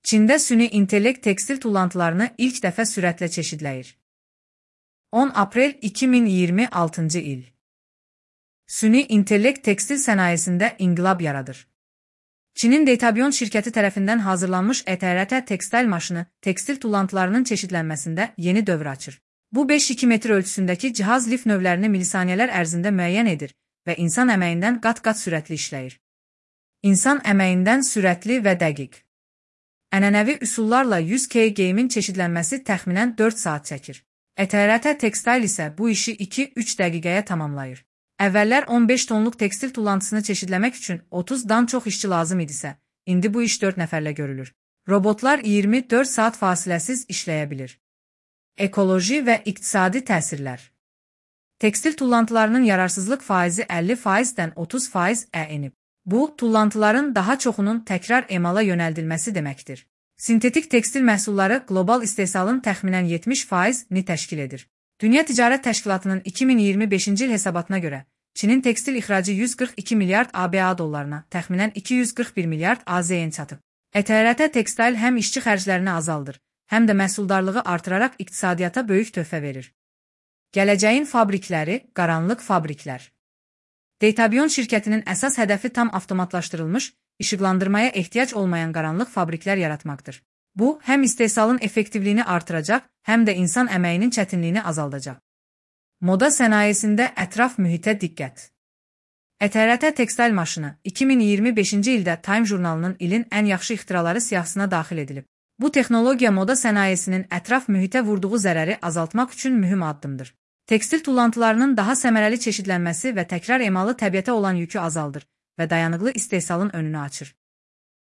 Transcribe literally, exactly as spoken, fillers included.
Çində süni intellekt tekstil tullantılarını ilk dəfə sürətlə çeşidləyir. on aprel iki min iyirmi altıncı il. Süni intellekt tekstil sənayesində inqilab yaradır. Çinin Detabion şirkəti tərəfindən hazırlanmış E T R T tekstil maşını tekstil tullantılarının çeşidlənməsində yeni dövr açır. Bu beş iki metr ölçüsündəki cihaz lif növlərini milisaniyələr ərzində müəyyən edir və insan əməyindən qat-qat sürətli işləyir. İnsan əməyindən sürətli və dəqiq. Ənənəvi üsullarla yüz kilogramın çeşidlənməsi təxminən dörd saat çəkir. E T R T tekstil isə bu işi iki üç dəqiqəyə tamamlayır. Əvvəllər on beş tonluq tekstil tullantısını çeşidləmək üçün otuzdan çox işçi lazım idisə, indi bu iş dörd nəfərlə görülür. Robotlar iyirmi dörd saat fasiləsiz işləyə bilir. Ekoloji və iqtisadi təsirlər. Tekstil tullantılarının yararsızlıq faizi əlli faizdən otuz faizə enib. Bu, tullantıların daha çoxunun təkrar emala yönəldilməsi deməkdir. Sintetik tekstil məhsulları qlobal istehsalın təxminən yetmiş faizini təşkil edir. Dünya Ticarət Təşkilatının iki min iyirmi beşinci il hesabatına görə, Çinin tekstil ixracı yüz qırx iki milyard A B A dollarına, təxminən iki yüz qırx bir milyard A Z N çatıb. E T R T tekstil həm işçi xərclərini azaldır, həm də məhsuldarlığı artıraraq iqtisadiyyata böyük töhfə verir. Gələcəyin fabrikləri, qaranlıq fabriklər. Detabion şirkətinin əsas hədəfi tam avtomatlaşdırılmış, işıqlandırmaya ehtiyac olmayan qaranlıq fabriklər yaratmaqdır. Bu, həm istehsalın effektivliyini artıracaq, həm də insan əməyinin çətinliyini azaldacaq. Moda sənayesində ətraf mühitə diqqət. E T R T tekstil maşını iki min iyirmi beşinci ildə Time jurnalının ilin ən yaxşı ixtiraları siyahısına daxil edilib. Bu texnologiya moda sənayesinin ətraf mühitə vurduğu zərəri azaltmaq üçün mühüm addımdır. Tekstil tullantılarının daha səmərəli çeşidlənməsi və təkrar emalı təbiətə olan yükü azaldır və dayanıqlı istehsalın önünü açır.